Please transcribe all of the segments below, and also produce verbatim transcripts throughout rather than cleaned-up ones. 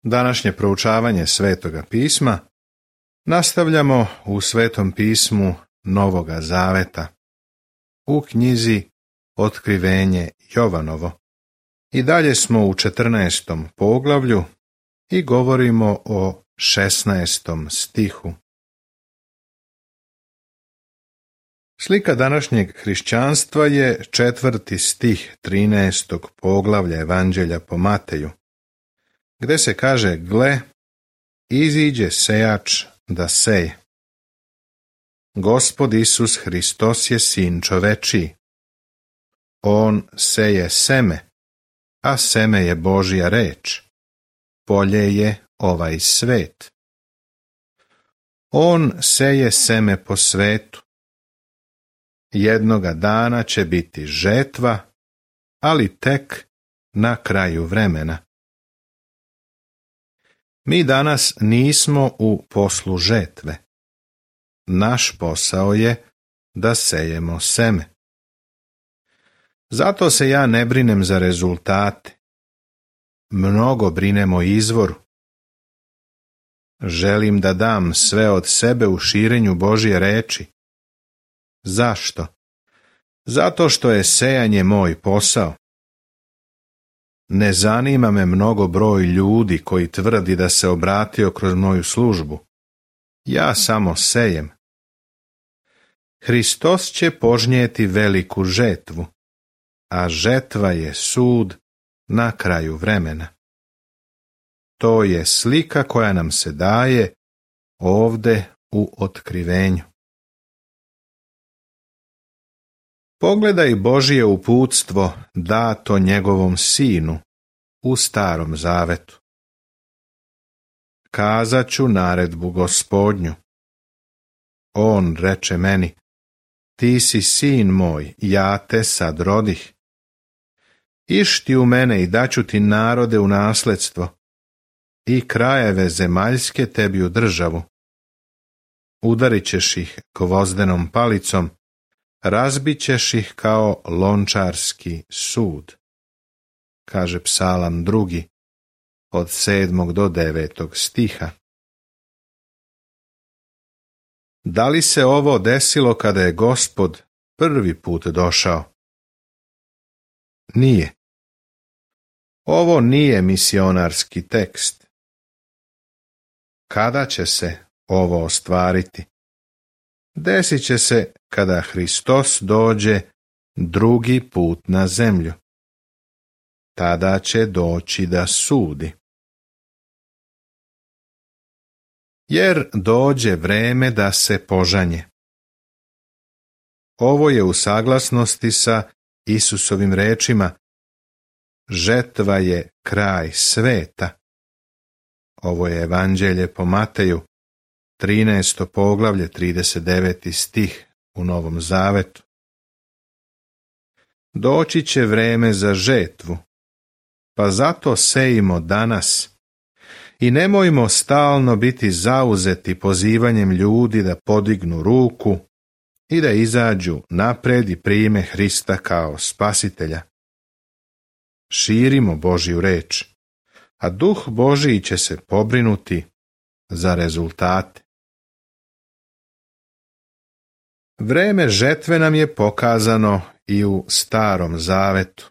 Današnje proučavanje Svetoga pisma nastavljamo u Svetom pismu Novoga Zaveta, u knjizi Otkrivenje Jovanovo. I dalje smo u četrnaestom poglavlju i govorimo o šesnaestom stihu. Slika današnjeg hrišćanstva je četvrti stih trinaestog poglavlja Evanđelja po Mateju, gde se kaže: gle, iziđe sejač da seje. Gospod Isus Hristos je sin čovečiji. On seje seme, a seme je Božja reč. Polje je ovaj svet. On seje seme po svetu. Jednoga dana će biti žetva, ali tek na kraju vremena. Mi danas nismo u poslu žetve. Naš posao je da sejemo seme. Zato se ja ne brinem za rezultate. Mnogo brinem o izvoru. Želim da dam sve od sebe u širenju Božje reči. Zašto? Zato što je sejanje moj posao. Ne zanima me mnogo broj ljudi koji tvrdi da se obratio kroz moju službu. Ja samo sejem. Hristos će požnjeti veliku žetvu, a žetva je sud na kraju vremena. To je slika koja nam se daje ovde u Otkrivenju. Pogledaj Božje uputstvo dato njegovom sinu u Starom Zavetu. Kazat ću naredbu Gospodnju. On reče meni: ti si sin moj, ja te sad rodih. Išti u mene i daću ti narode u nasledstvo i krajeve zemaljske tebi u državu. Udarit ćeš ih gvozdenom palicom, razbit ćeš ih kao lončarski sud, kaže Psalam drugi, od sedmog do devetog stiha. Da li se ovo desilo kada je Gospod prvi put došao? Nije. Ovo nije misionarski tekst. Kada će se ovo ostvariti? Desit će se kada Hristos dođe drugi put na zemlju. Tada će doći da sudi. Jer dođe vreme da se požanje. Ovo je u saglasnosti sa Isusovim rečima: žetva je kraj sveta. Ovo je Evanđelje po Mateju, trinaesto poglavlje, trideset deveti stih u Novom Zavetu. Doći će vreme za žetvu, pa zato sejimo danas i nemojmo stalno biti zauzeti pozivanjem ljudi da podignu ruku i da izađu napred i prime Hrista kao Spasitelja. Širimo Božju reč, a Duh Božji će se pobrinuti za rezultate. Vreme žetve nam je pokazano i u Starom Zavetu.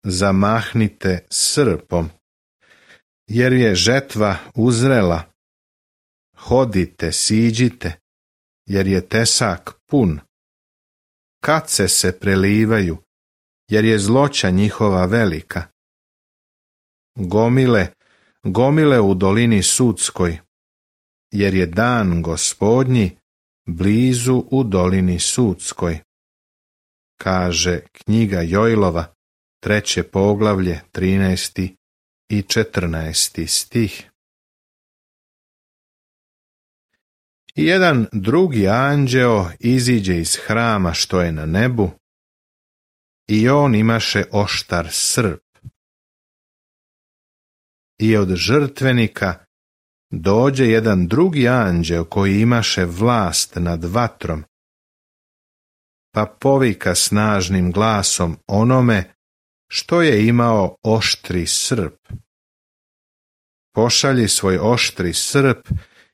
Zamahnite srpom, jer je žetva uzrela. Hodite, siđite, jer je tesak pun. Kace se prelivaju, jer je zloća njihova velika. Gomile, gomile u dolini sudskoj, jer je dan Gospodnji blizu u dolini sudskoj, kaže knjiga Jojlova, treće poglavlje, trinaesti i četrnaesti stih. I jedan drugi anđeo iziđe iz hrama što je na nebu, i on imaše oštar srp. I od žrtvenika dođe jedan drugi anđeo koji imaše vlast nad vatrom, pa povika snažnim glasom onome što je imao oštri srp: pošalji svoj oštri srp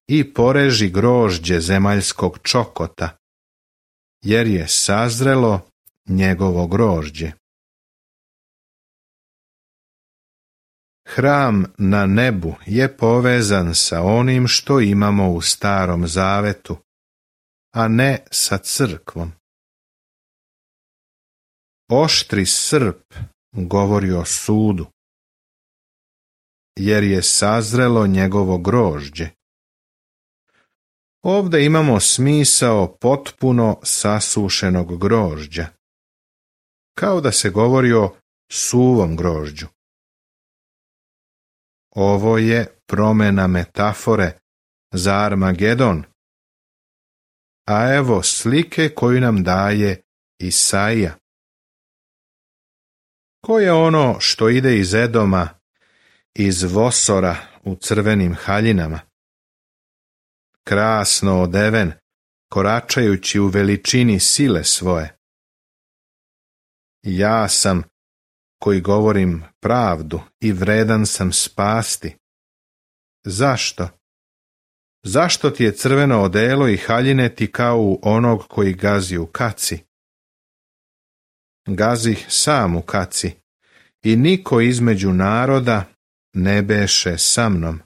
i poreži grožđe zemaljskog čokota, jer je sazrelo njegovo grožđe. Hram na nebu je povezan sa onim što imamo u Starom Zavetu, a ne sa crkvom. Oštri srp govori o sudu, jer je sazrelo njegovo grožđe. Ovdje imamo smisao potpuno sasušenog grožđa, kao da se govori o suvom grožđu. Ovo je promjena metafore za Armagedon, a evo slike koju nam daje Isaija. Ko je ono što ide iz Edoma, iz Vosora u crvenim haljinama? Krasno odeven, koračajući u veličini sile svoje. Ja sam, koji govorim pravdu i vredan sam spasti. Zašto? Zašto ti je crveno odelo i haljine ti kao u onog koji gazi u kaci? Gazih sam u kaci i niko između naroda ne beše sa mnom.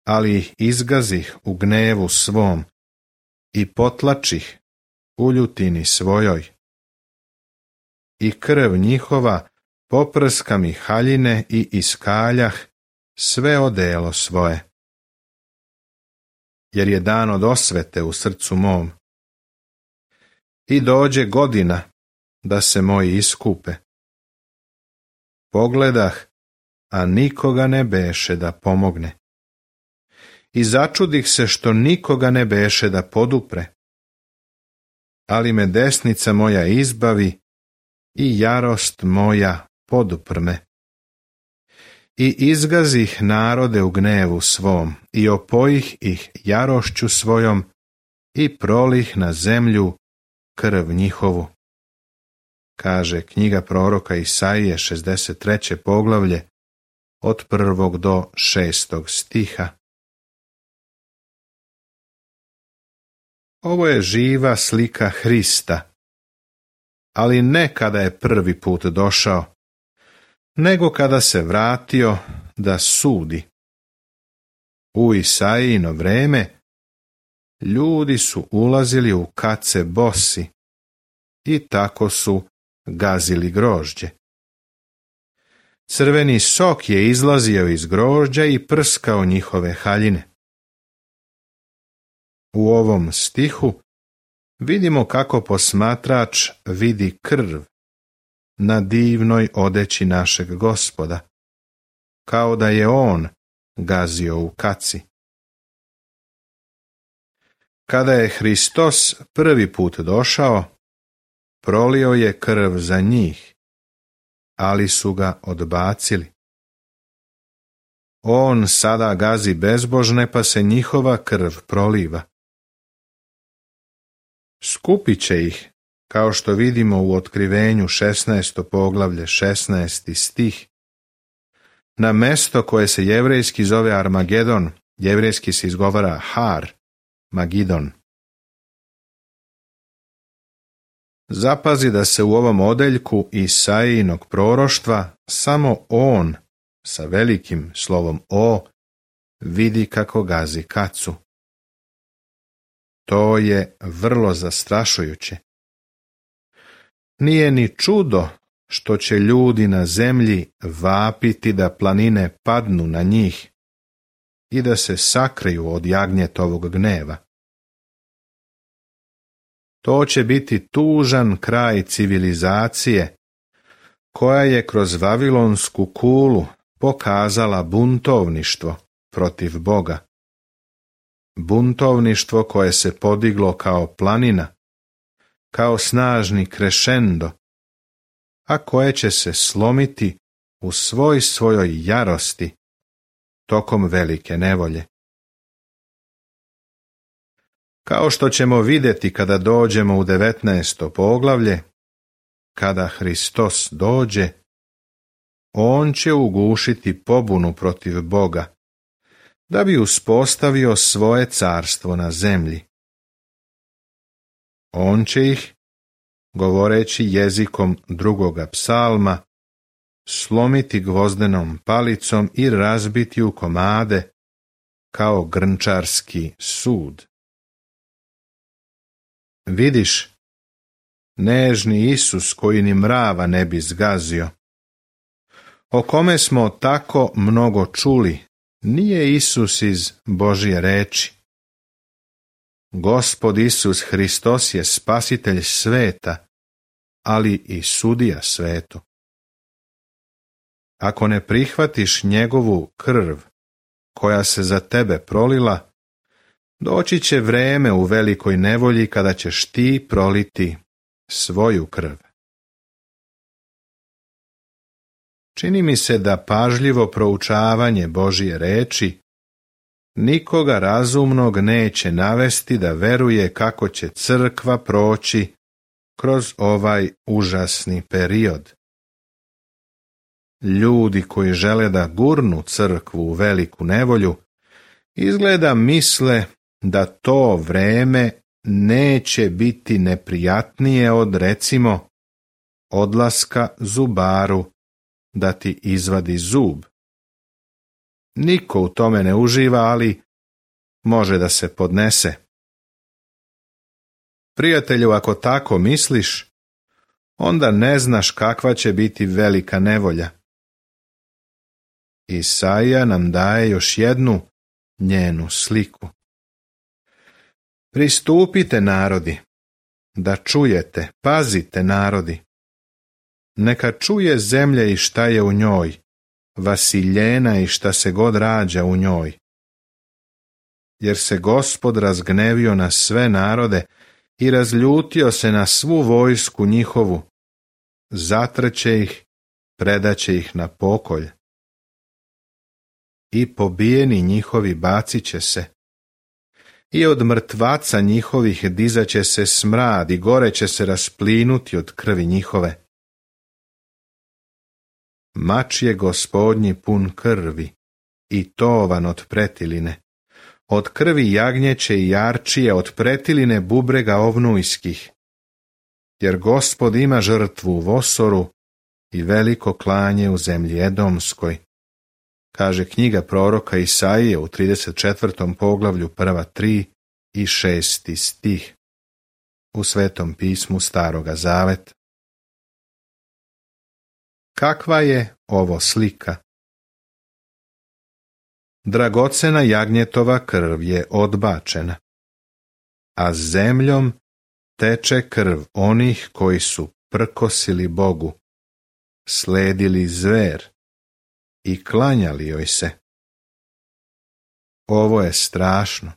Ali ih izgazih u gnevu svom i potlačih u ljutini svojoj. I krv njihova poprska mi haljine i iskaljah sve odelo svoje. Jer je dan od osvete u srcu mom. I dođe godina da se moji iskupe. Pogledah, a nikoga ne beše da pomogne. I začudih se što nikoga ne beše da podupre. Ali me desnica moja izbavi i jarost moja poduprme. I izgazih narode u gnevu svom i opojih ih jarošću svojom i prolih na zemlju krv njihovu. Kaže knjiga proroka Isaije, šezdeset treće poglavlje, od prvog do šestog stiha. Ovo je živa slika Hrista, ali ne kada je prvi put došao, nego kada se vratio da sudi. U Isaijino vreme ljudi su ulazili u kace bosi i tako su gazili grožđe. Crveni sok je izlazio iz grožđa i prskao njihove haljine. U ovom stihu vidimo kako posmatrač vidi krv na divnoj odeći našeg Gospoda, kao da je on gazio u kaci. Kada je Hristos prvi put došao, prolio je krv za njih, ali su ga odbacili. On sada gazi bezbožne, pa se njihova krv proliva. Skupit će ih, kao što vidimo u Otkrivenju šesnaesto poglavlje šesnaesti stih, na mesto koje se jevrejski zove Armagedon, jevrejski se izgovara Har, Magidon. Zapazi da se u ovom odeljku Isaijinog proroštva samo on, sa velikim slovom O, vidi kako gazi kacu. To je vrlo zastrašujuće. Nije ni čudo što će ljudi na zemlji vapiti da planine padnu na njih i da se sakriju od jagnjetovog gneva. To će biti tužan kraj civilizacije, koja je kroz Vavilonsku kulu pokazala buntovništvo protiv Boga. Buntovništvo koje se podiglo kao planina, kao snažni krešendo, a koje će se slomiti u svoj svojoj jarosti tokom velike nevolje. Kao što ćemo vidjeti kada dođemo u devetnaesto poglavlje, kada Hristos dođe, on će ugušiti pobunu protiv Boga, da bi uspostavio svoje carstvo na zemlji. On će ih, govoreći jezikom drugoga psalma, slomiti gvozdenom palicom i razbiti u komade, kao grnčarski sud. Vidiš, nežni Isus koji ni mrava ne bi zgazio, o kome smo tako mnogo čuli, nije Isus iz Božje reči. Gospod Isus Hristos je spasitelj sveta, ali i sudija svetu. Ako ne prihvatiš njegovu krv, koja se za tebe prolila, doći će vreme u velikoj nevolji kada ćeš ti proliti svoju krv. Čini mi se da pažljivo proučavanje Božje reči nikoga razumnog neće navesti da veruje kako će crkva proći kroz ovaj užasni period. Ljudi koji žele da gurnu crkvu u veliku nevolju, izgleda misle da to vreme neće biti neprijatnije od, recimo, odlaska zubaru da ti izvadi zub. Niko u tome ne uživa, ali može da se podnese. Prijatelju, ako tako misliš, onda ne znaš kakva će biti velika nevolja. Isaija nam daje još jednu njenu sliku. Pristupite, narodi, da čujete, pazite, narodi. Neka čuje zemlja i šta je u njoj, vasiljena i šta se god rađa u njoj. Jer se Gospod razgnevio na sve narode i razljutio se na svu vojsku njihovu, zatreće ih, predaće ih na pokolj. I pobijeni njihovi bacit će se, i od mrtvaca njihovih dizaće se smrad i gore će se rasplinuti od krvi njihove. Mač je Gospodnji pun krvi i tovan od pretiline, od krvi jagnjeće i jarčije, od pretiline bubrega ovnujskih. Jer Gospod ima žrtvu u Vosoru i veliko klanje u zemlji Edomskoj, kaže knjiga proroka Isaije u trideset četvrtom poglavlju prva tri i šesti stih u Svetom pismu Staroga Zaveta. Kakva je ovo slika? Dragocena jagnjetova krv je odbačena, a zemljom teče krv onih koji su prkosili Bogu, sledili zver i klanjali joj se. Ovo je strašno.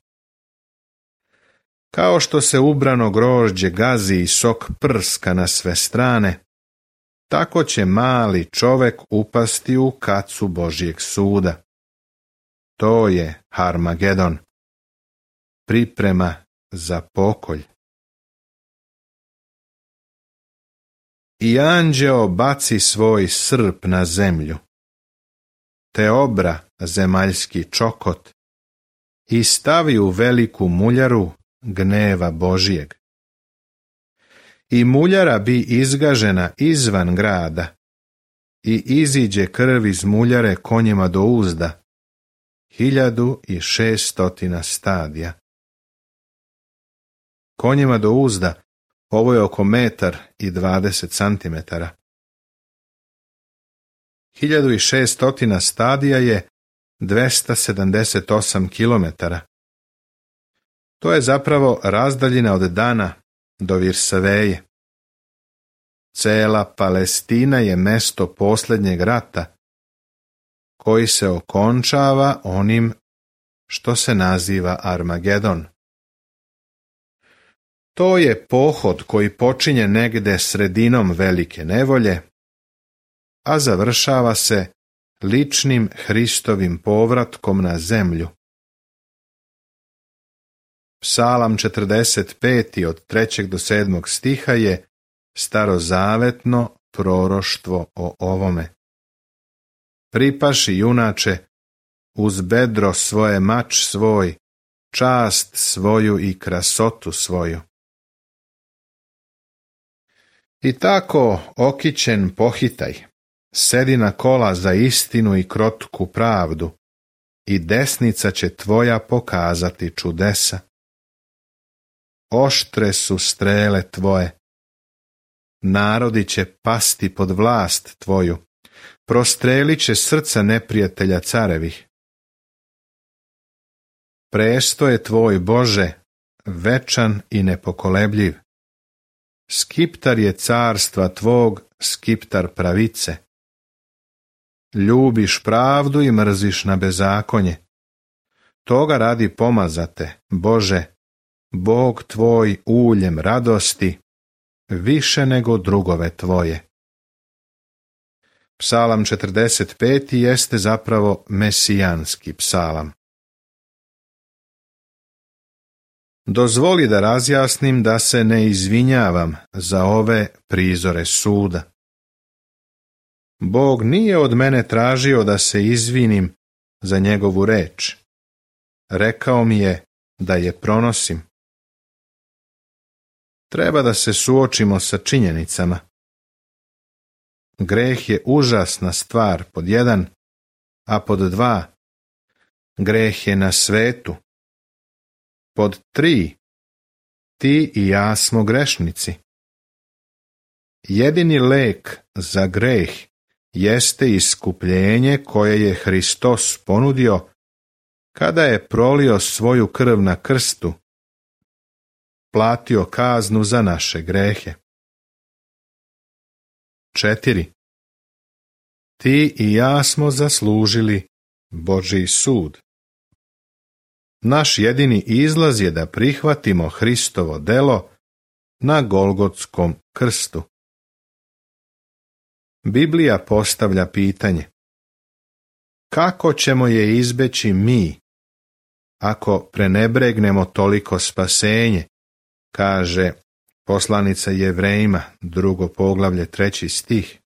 Kao što se ubrano grožđe gazi i sok prska na sve strane, tako će mali čovek upasti u kacu Božjeg suda. To je Harmagedon, priprema za pokolj. I anđeo baci svoj srp na zemlju, te obra zemaljski čokot i stavi u veliku muljaru gneva Božjeg. I muljara bi izgažena izvan grada i iziđe krv iz muljare konjima do uzda, hiljadu i šestotina stadija. Konjima do uzda ovo je oko metar i dvadeset centimetara. Hiljadu i šestotina stadija je dvesta sedamdeset osam kilometara. To je zapravo razdaljina od Dana do Virsaveje. Cela Palestina je mesto posljednjeg rata, koji se okončava onim što se naziva Armagedon. To je pohod koji počinje negde sredinom velike nevolje, a završava se ličnim Hristovim povratkom na zemlju. Psalam četrdeset pet od trećeg do sedmog stiha je starozavetno proroštvo o ovome. pripaši junače, uz bedro svoje mač svoj, čast svoju i krasotu svoju. I tako, okićen pohitaj, sedi na kola za istinu i krotku pravdu, i desnica će tvoja pokazati čudesa. Oštre su strele tvoje, narodi će pasti pod vlast tvoju, prostrelit će srca neprijatelja carevih. Presto je tvoj, Bože, večan i nepokolebljiv. Skiptar je carstva tvog, skiptar pravice. Ljubiš pravdu i mrziš na bezakonje. Toga radi pomazate, Bože, Bog tvoj uljem radosti, više nego drugove tvoje. Psalam četrdeset peti jeste zapravo mesijanski psalam. Dozvoli da razjasnim da se ne izvinjavam za ove prizore suda. Bog nije od mene tražio da se izvinim za njegovu reč. Rekao mi je da je pronosim. Treba da se suočimo sa činjenicama. Greh je užasna stvar, pod jedan, a pod dva, greh je na svetu. Pod tri, ti i ja smo grešnici. Jedini lek za greh jeste iskupljenje koje je Hristos ponudio kada je prolio svoju krv na krstu, platio kaznu za naše grehe. Četiri. Ti i ja smo zaslužili Božji sud. Naš jedini izlaz je da prihvatimo Hristovo delo na Golgotskom krstu. Biblija postavlja pitanje: kako ćemo je izbeći mi, ako prenebregnemo toliko spasenje, kaže poslanica Jevrejima, drugo poglavlje, treći stih.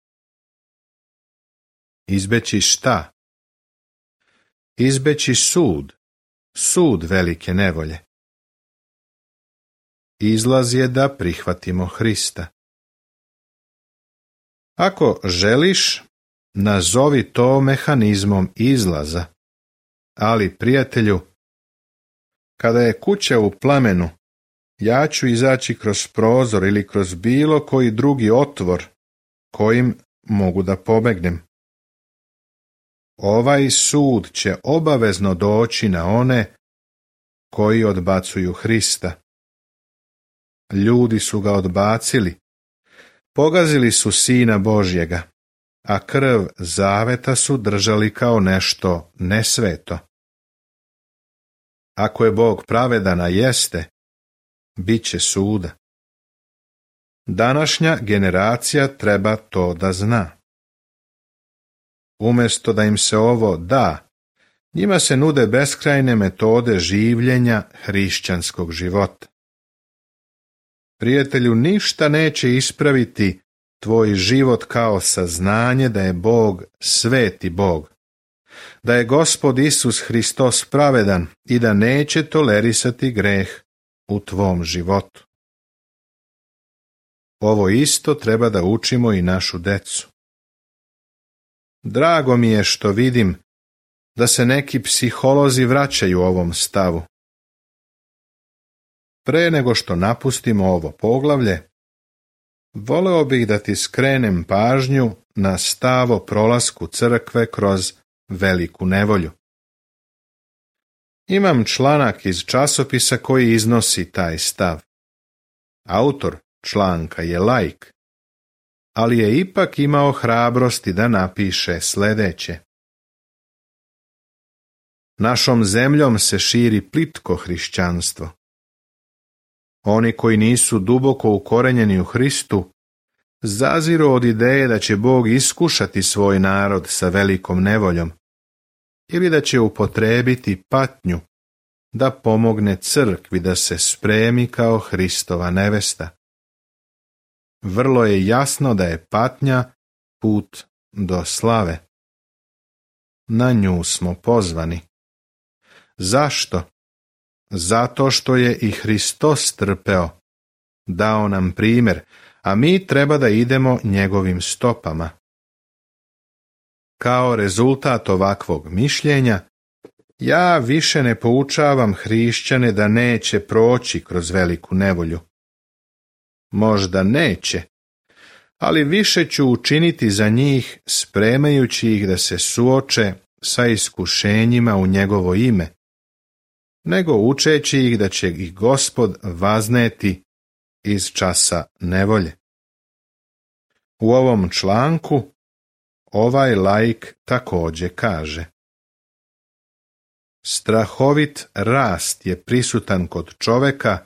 Izbeći šta? Izbeći sud, sud velike nevolje. Izlaz je da prihvatimo Hrista. Ako želiš, nazovi to mehanizmom izlaza, ali, prijatelju, kada je kuća u plamenu, ja ću izaći kroz prozor ili kroz bilo koji drugi otvor kojim mogu da pobegnem. Ovaj sud će obavezno doći na one koji odbacuju Hrista. Ljudi su ga odbacili, pogazili su Sina Božjega, a krv zaveta su držali kao nešto nesveto. Ako je Bog pravedan, a jeste, bit će suda. Današnja generacija treba to da zna. Umjesto da im se ovo da, njima se nude beskrajne metode življenja hrišćanskog života. Prijatelju, ništa neće ispraviti tvoj život kao saznanje da je Bog sveti Bog, da je Gospod Isus Hristos pravedan i da neće tolerisati greh u tvom životu. Ovo isto treba da učimo i našu decu. Drago mi je što vidim da se neki psiholozi vraćaju ovom stavu. Pre nego što napustimo ovo poglavlje, voleo bih da ti skrenem pažnju na stav o prolasku crkve kroz veliku nevolju. Imam članak iz časopisa koji iznosi taj stav. Autor članka je laik, ali je ipak imao hrabrosti da napiše sljedeće. Našom zemljom se širi plitko hrišćanstvo. Oni koji nisu duboko ukorenjeni u Hristu zaziru od ideje da će Bog iskušati svoj narod sa velikom nevoljom ili da će upotrebiti patnju da pomogne crkvi da se spremi kao Hristova nevesta. Vrlo je jasno da je patnja put do slave. na nju smo pozvani. Zašto? Zato što je i Hristos trpeo, dao nam primjer, a mi treba da idemo njegovim stopama. Kao rezultat ovakvog mišljenja, ja više ne poučavam hrišćane da neće proći kroz veliku nevolju. Možda neće, ali više ću učiniti za njih spremajući ih da se suoče sa iskušenjima u njegovo ime, nego učeći ih da će ih Gospod vazneti iz časa nevolje. U ovom članku ovaj laik također kaže: strahovit rast je prisutan kod čoveka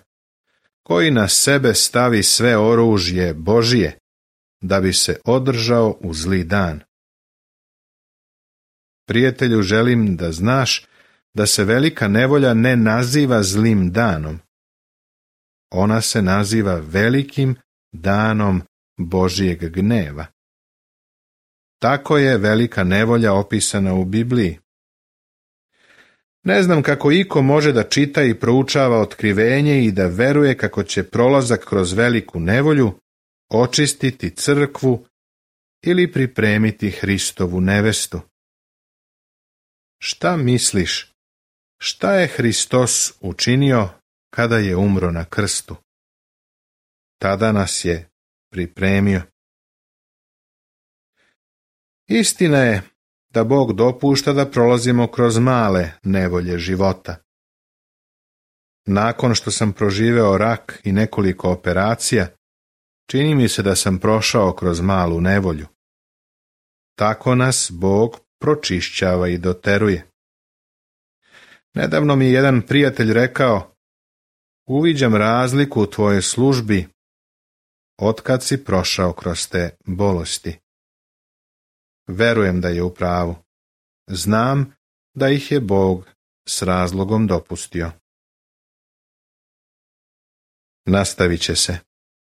koji na sebe stavi sve oružje Božije da bi se održao u zli dan. Prijatelju, želim da znaš da se velika nevolja ne naziva zlim danom. Ona se naziva velikim danom Božijeg gneva. Tako je velika nevolja opisana u Bibliji. Ne znam kako iko može da čita i proučava otkrivenje i da veruje kako će prolazak kroz veliku nevolju očistiti crkvu ili pripremiti Hristovu nevestu. Šta misliš? Šta je Hristos učinio kada je umro na krstu? Tada nas je pripremio. Istina je da Bog dopušta da prolazimo kroz male nevolje života. Nakon što sam proživeo rak i nekoliko operacija, čini mi se da sam prošao kroz malu nevolju. Tako nas Bog pročišćava i doteruje. Nedavno mi je jedan prijatelj rekao: uviđam razliku u tvojoj službi otkad si prošao kroz te bolesti. Verujem da je u pravu. Znam da ih je Bog s razlogom dopustio. Nastavit će se.